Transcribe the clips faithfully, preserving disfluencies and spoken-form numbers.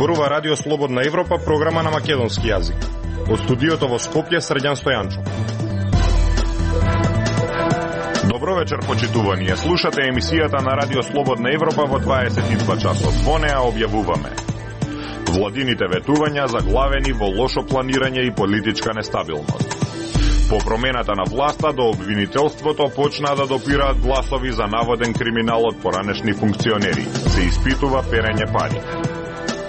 Зборува Радио Слободна Европа, програма на македонски јазик. Од студиото во Скопје, Срđan Стојанчо. Добро вечер, почитувани. Слушате емисијата на Радио Слободна Европа во дваесет и два часот. Во неа објавуваме владините ветувања заглавени во лошо планирање и политичка нестабилност. По промената на власта до обвинителството почнаа да допираат гласови за наводен криминал од поранешни функционери. Се испитува перење пари.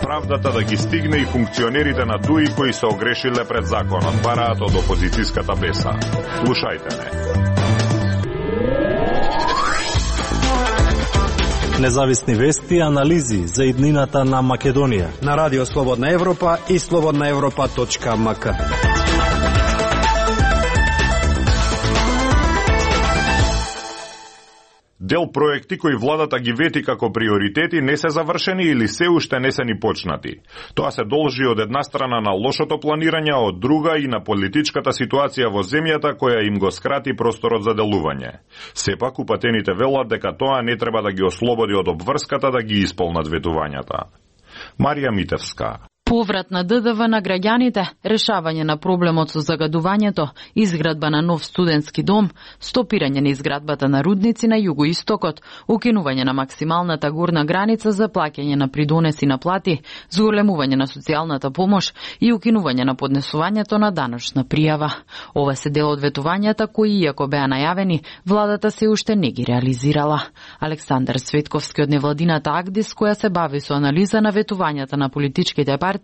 Правдата да ги стигне и функционерите на ДУИ кои се огрешиле пред законот, бараат од опозицијската беса. Слушајте не. Независни вести и анализи за иднината на Македонија на Радио Слободна Европа и слободна европа точка ем ка. Дел проекти кои владата ги вети како приоритети не се завршени или се уште не се ни почнати. Тоа се должи од една страна на лошото планирање, а од друга и на политичката ситуација во земјата која им го скрати просторот за делување. Сепак упатените велат дека тоа не треба да ги ослободи од обврската да ги исполнат ветувањата. Марија Митевска. Поврат на Д Д В на граѓаните, решавање на проблемот со загадувањето, изградба на нов студентски дом, стопирање на изградбата на рудници на југоистокот, укинување на максималната горна граница за плаќање на придонеси на плати, зголемување на социјалната помош и укинување на поднесувањето на даночна пријава. Ова се дел од ветувањата кои, иако беа најавени, владата се уште не ги реализирала. Александар Светковски од невладината Агдис, која се бави со анализа на ветувањата на политичките партии,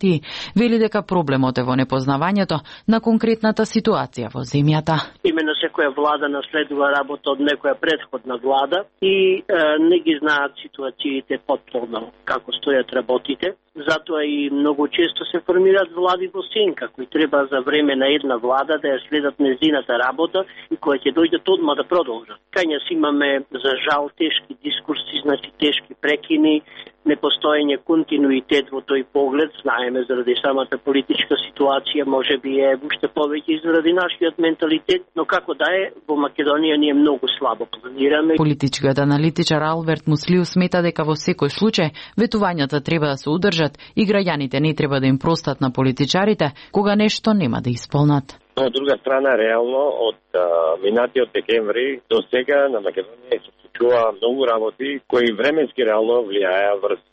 вели дека проблемот е во непознавањето на конкретната ситуација во земјата. Именно секоја влада наследува работа од некоја претходна влада и е, не ги знаат ситуациите потполно како стојат работите. Затоа и многу често се формираат влади во сенка, кои треба за време на една влада да ја следат незината работа и која ќе дојдат одма да продолжат. Кај нас имаме, за жал, тешки дискурси, значи тешки прекини, непостоење континуитет во тој поглед, знаеме заради самата политичка ситуација, може би е уште повеќе заради нашиот менталитет, но како да е, во Македонија ние многу слабо планираме. Политичкиот аналитичар Алберт Муслиу смета дека во секој случај ветувањата треба да се удржат и граѓаните не треба да им простат на политичарите кога нешто нема да исполнат. Но од друга страна, реално, од а, минатиот декември до сега на Македонија се случува многу работи кои временски реално влијаја врз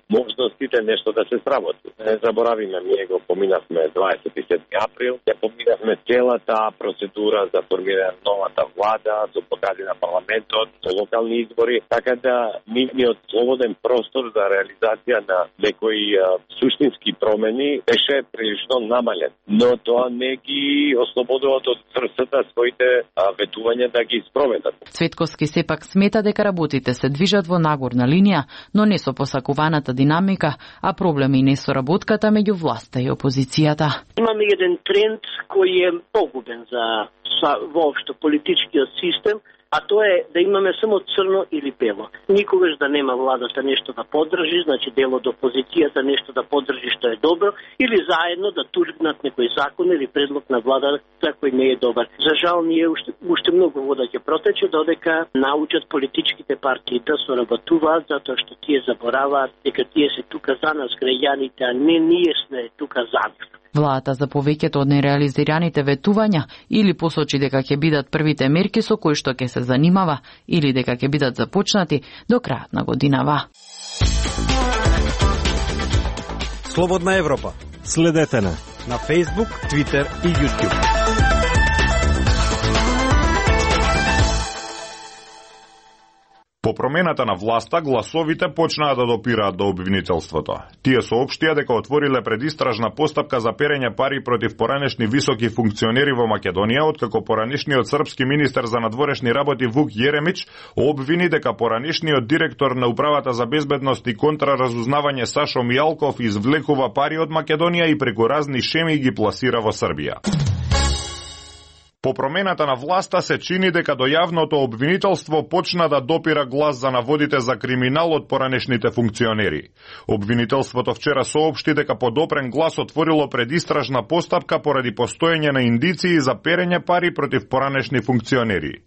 можностите нешто да се сработи. Не заборавиме, ние го поминавме дваесет и седми април, ја поминавме целата процедура за формирање на новата влада, за покади на парламентот, за локални избори, така да нивниот слободен простор за реализација на некои а, суштински промени беше прилично намален. Но тоа не ги ослободува од врсата своите а, ветувања да ги спроведат. Цветковски сепак смета дека работите се движат во нагорна линија, но не со посакуваната динамика, а проблеми и несоработката меѓу власта и опозицијата. Имаме еден тренд кој е погубен за воопшто политичкиот систем, а тоа е да имаме само црно или бело. Никогаш да нема владата нешто да поддржи, значи дел од опозицијата нешто да поддржи што е добро, или заедно да тургнат некој закон или предлог на владата кој не е добар. За жал, ние уште, уште многу вода ќе протече додека научат политичките партии да соработуваат, затоа што тие забораваат дека тие се тука за нас граѓаните, а не ние сме тука за нив. Владата за повеќето од нереализираните ветувања или посочи дека ќе бидат првите мерки со кои што ќе се занимава или дека ќе бидат започнати до крајот на годинава. Слободна Европа. Следете на на Facebook, Twitter и YouTube. По промената на власта, гласовите почнаа да допираат до обвинителството. Тие соопштија дека отвориле предистражна постапка за перење пари против поранешни високи функционери во Македонија, откако поранешниот српски министер за надворешни работи Вук Јеремич обвини дека поранешниот директор на Управата за безбедност и контраразузнавање Сашо Мијалков извлекува пари од Македонија и преку разни шеми ги пласира во Србија. По промената на власта се чини дека до јавното обвинителство почна да допира глас за наводите за криминал од поранешните функционери. Обвинителството вчера соопшти дека подопрен глас отворило предистражна постапка поради постоење на индиции за перење пари против поранешни функционери.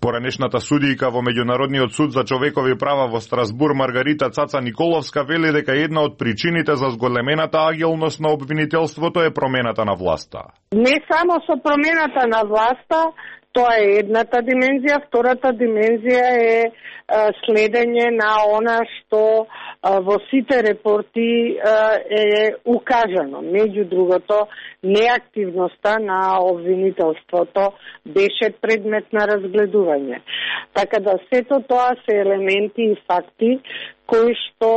Поранешната судијка во Меѓународниот суд за човекови права во Страсбур Маргарита Цаца Николовска вели дека една од причините за зголемената агилност на обвинителството е промената на власта. Не само со промената на власта, тоа е едната димензија, втората димензија е следење на она што во сите репорти е укажано. Меѓу другото, неактивноста на обвинителството беше предмет на разгледување. Така да сето тоа се елементи и факти кои што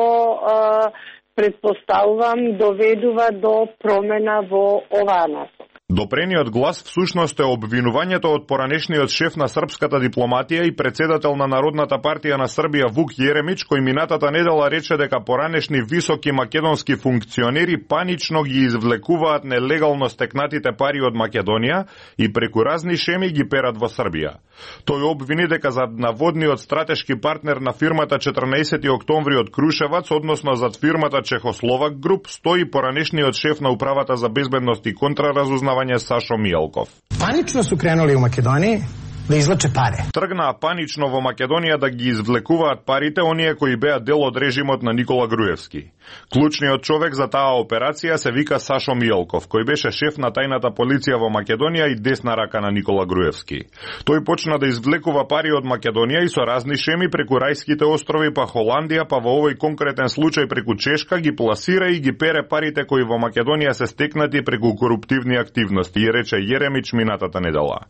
предпоставувам доведува до промена во оваа насока. Допрениот глас всушност е обвинувањето од поранешниот шеф на српската дипломатија и председател на Народната партија на Србија Вук Јеремич, кој минатата недела рече дека поранешни високи македонски функционери панично ги извлекуваат нелегално стекнатите пари од Македонија и преку разни шеми ги перат во Србија. Тој обвини дека зад наводниот стратешки партнер на фирмата четрнаесети октомври од Крушевац, односно зад фирмата Чехословак Груп, стои поранешниот шеф на Управата за безбедност и контраразузнавање Сашо Мијалков. Панично су кренули у Македонија да извлаче пари. Тргнаа панично во Македонија да ги извлекуваат парите оние кои беа дел од режимот на Никола Груевски. Клучниот човек за таа операција се вика Сашо Мијалков, кој беше шеф на тајната полиција во Македонија и десна рака на Никола Груевски. Тој почна да извлекува пари од Македонија и со разни шеми преку Рајските острови, па Холандија, па во овој конкретен случај преку Чешка ги пласира и ги пере парите кои во Македонија се стекнати преку коруптивни активности, и рече Јеремич минатата недела.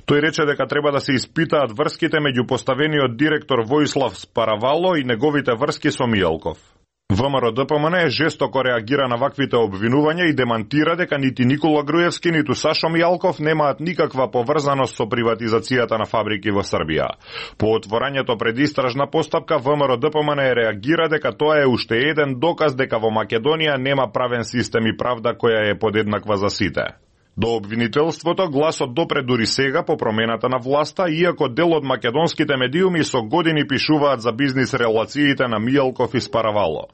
Тој рече дека треба да се испитаат врските меѓу поставениот директор Војслав Спаравало и неговите врски со Мијалков. ВМРО-ДПМН жестоко реагира на ваквите обвинувања и демантира дека нити Никола Груевски, ниту Сашо Мијалков немаат никаква поврзаност со приватизацијата на фабрики во Србија. По отворањето пред истражна постапка, ВМРО-ДПМН реагира дека тоа е уште еден доказ дека во Македонија нема правен систем и правда која е подеднаква за сите. До обвинителството гласот допре дури сега по промената на власта, иако дел од македонските медиуми со години пишуваат за бизнис релациите на Мијалков и Спаравало.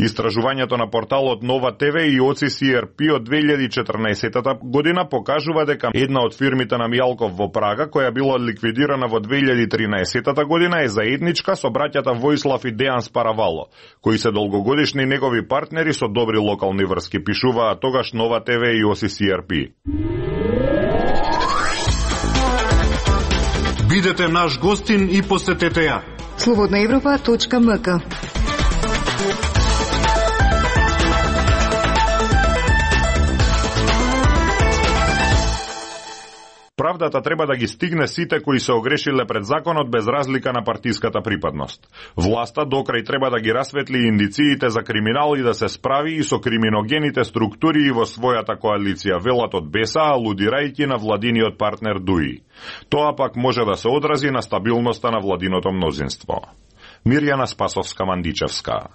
Истражувањето на порталот Нова ТВ и О Ц С Р П од две илјади и четрнаесета година покажува дека една од фирмите на Мијалков во Прага, која била ликвидирана во две илјади и тринаесета година, е заедничка со браќата Војслав и Дејан Спаравало, кои се долгогодишни негови партнери со добри локални врски, пишуваа тогаш Нова ТВ и О Ц С Р П. Бидете наш гостин и посетете ја. слободна европа точка м к. Правдата треба да ги стигне сите кои се огрешиле пред законот без разлика на партиската припадност. Власта докрај треба да ги расветли индициите за криминал и да се справи и со криминогените структури и во својата коалиција, велат од Беса, алудирајќи на владиниот партнер Дуи. Тоа пак може да се одрази на стабилноста на владиното мнозинство. Мирјана Спасовска-Мандичевска.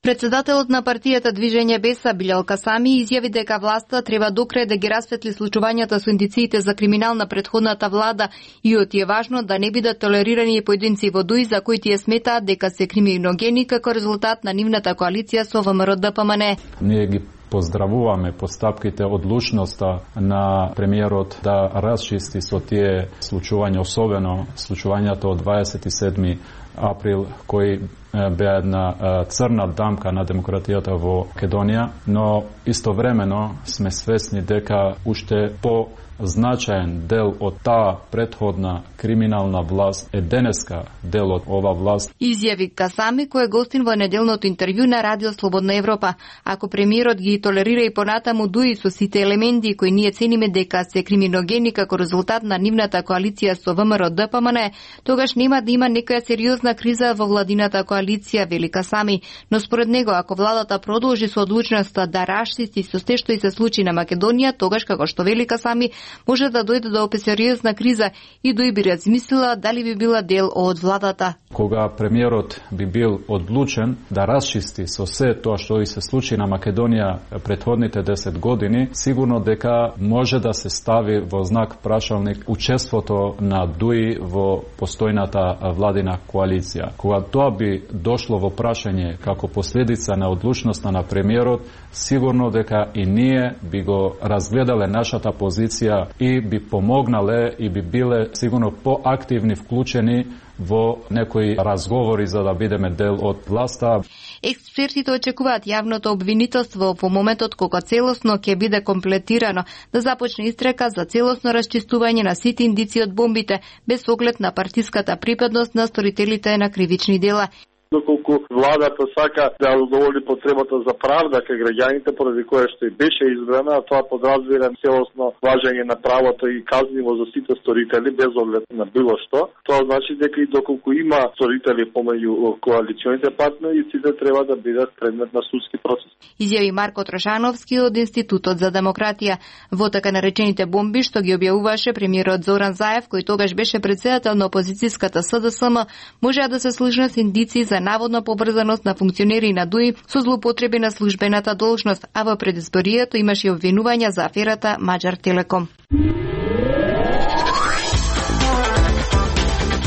Председателот на партијата Движење Беса Билјал Касами изјави дека власта треба докрај да ги расветли случувањата со индициите за криминал на претходната влада и од е важно да не бидат толерирани поединци во Дуи за кои тие сметаат дека се криминогени како резултат на нивната коалиција со ВМРО-ДПМН. Ние ги поздравуваме постапките, одлучноста на премиерот да расчисти со тие случувања, особено случувањата од дваесет и седми април, кои беа една црна дамка на демократијата во Македонија, но истовремено сме свесни дека уште по значаен дел од таа претходна криминална власт е денеска дел од ова власт. Изјави Касами, кој е гостин во неделното интервју на Радио Слободна Европа. Ако премиерот ги толерира и понатаму Дуи со сите елементи кои ние цениме дека се криминогени како резултат на нивната коалиција со ВМРО-ДПМН, тогаш нема да има некоја сериозна криза во владината коалиција, вели Касами. Но според него, ако владата продолжи со одлучноста да расчисти со се што и се случи на Македонија, тогаш, како што вели Касами, може да дојде до сериозна криза и Дуи би размислила дали би била дел од владата. Кога премиерот би бил одлучен да расчисти со се тоа што и се случи на Македонија претходните десет години, сигурно дека може да се стави во знак прашалник учеството на Дуи во постојната владина коалиција. Кога тоа би дошло во прашање како последица на одлучноста на премиерот, сигурно дека и ние би го разгледале нашата позиција институција и би помогнале и би биле сигурно поактивни, вклучени во некои разговори за да бидеме дел од власта. Експертите очекуваат јавното обвинителство во моментот кога целосно ќе биде комплетирано да започне истрека за целосно расчистување на сите индици од бомбите без оглед на партиската припадност на сторителите на кривични дела. Доколку владата сака да удоволи потребата за правда кај граѓаните, поради кое што и беше избрана, а тоа подразбира целосно важење на правото и казниво за сите сторители без оглед на било што. Тоа значи дека и доколку има сторители помеѓу коалиционите партнери, сите треба да бидат предмет на судски процес. Изјави Марко Трошановски од Институтот за демократија. Во така наречените бомби што ги објавуваше премиерот Зоран Заев, кој тогаш беше претседател на опозицијската С Д С М, можеа да се служат с индици за наводна поврзаност на функционери на ДУИ со злоупотреби на службената должност, а во предизборието имаше обвинувања за аферата Маđар Телеком.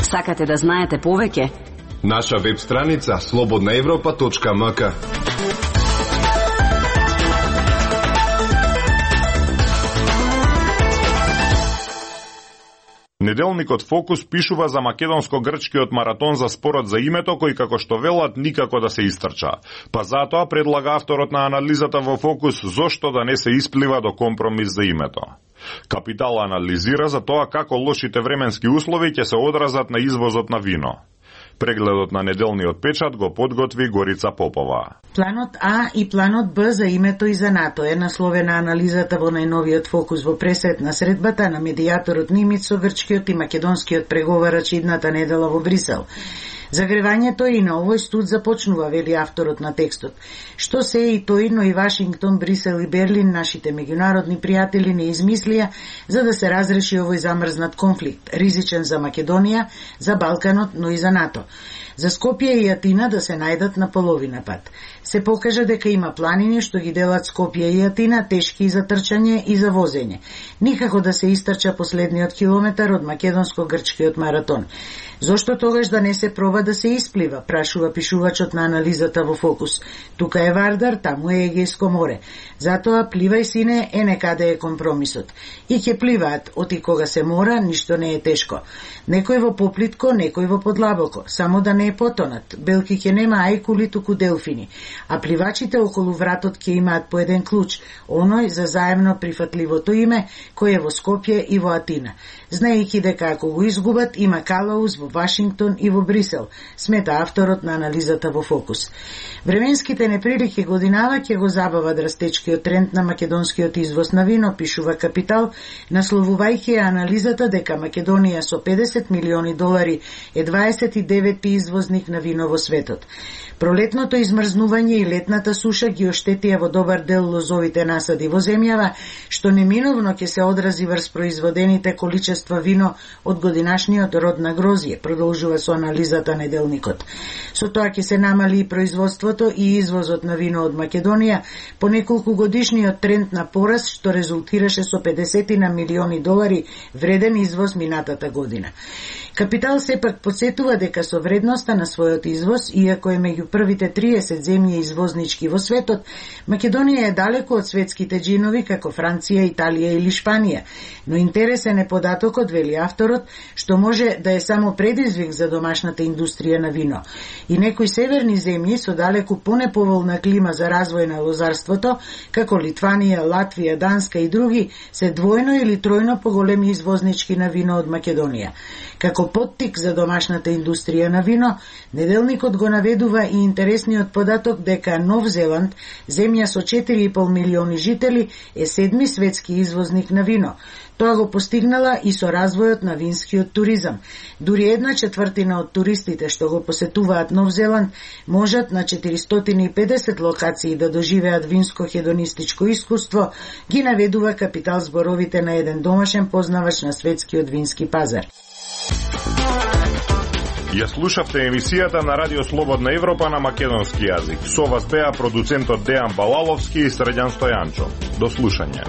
Сакате да знаете повеќе? Наша веб страница слободна европа точка м к. Неделникот Фокус пишува за македонско-грчкиот маратон за спорот за името, кој како што велат никако да се истрча. Па затоа предлага авторот на анализата во Фокус зошто да не се исплива до компромис за името. Капитал анализира за тоа како лошите временски услови ќе се одразат на извозот на вино. Прегледот на неделниот печат го подготви Горица Попова. Планот А и планот Б за името и за НАТО е насловена анализата во најновиот Фокус во пресет на средбата на медијаторот Нимиц со грчкиот и македонскиот преговарач идната недела во Брисел. Загревањето и на овој студ започнува, вели авторот на текстот. Што се и тој, но и Вашингтон, Брисел и Берлин, нашите меѓународни пријатели, не измислија за да се разреши овој замрзнат конфликт, ризичен за Македонија, за Балканот, но и за НАТО. За Скопје и Атина да се најдат на половина пат. Се покажа дека има планини што ги делат Скопје и Атина тешки и за трчање и за возење. Никако да се истрча последниот километар од македонско-грчкиот маратон. Зошто тогаш да не се проба да се исплива, прашува пишувачот на анализата во Фокус. Тука е Вардар, таму е Егејско море. Затоа пливај сине е некаде е компромисот. И ќе пливаат, оти кога се мора, ништо не е тешко. Некој во поплитко, некој во подлабоко, само да не е потонат. Белки ќе нема ајкули, туку делфини. А пливачите околу вратот ќе имаат по еден клуч, оној за заемно прифатливото име, кој е во Скопје и во Атина. Знаејќи дека ако го изгубат, има калаус во Вашингтон и во Брисел, смета авторот на анализата во Фокус. Временските неприлики годинава ќе го забават растечкиот тренд на македонскиот извоз на вино, пишува Капитал, насловувајќи анализата дека Македонија со педесет милиони долари е дваесет и деветти извозник на вино во светот. Пролетното измрзнување и летната суша ги оштетија во добар дел лозовите насади во земјава, што неминовно ќе се одрази врз производените количества вино од годинашниот род на грозје, продолжува со анализата неделникот. Со тоа ќе се намали и производството и извозот на вино од Македонија по неколку годишниот тренд на пораст, што резултираше со педесет на милиони долари вреден извоз минатата година. Капитал сепак подсетува дека со вредноста на својот извоз, иако е меѓу првите триесет земји извознички во светот, Македонија е далеко од светските джинови како Франција, Италија или Шпанија, но интересен е податокот, вели авторот, што може да е само предизвик за домашната индустрија на вино. И некои северни земји со далеку понеповолна клима за развој на лозарството, како Литванија, Латвија, Данска и други, се двојно или тројно поголеми извознички на вино од Македонија. Како поттик за домашната индустрија на вино, неделникот го наведува и интересниот податок дека Нов Зеланд, земја со четири и пол милиони жители, е седми светски извозник на вино. Тоа го постигнала и со развојот на винскиот туризам. Дури една четвртина од туристите што го посетуваат Нов Зеланд можат на четиристотини и педесет локации да доживеат винско-хедонистичко искуство, ги наведува Капитал зборовите на еден домашен познавач на светскиот вински пазар. Ја слушавте емисијата на Радио Слободна Европа на македонски јазик. Со вас беа продуцентот Дејан Балаловски и Срđan Стојанчо. До слушање.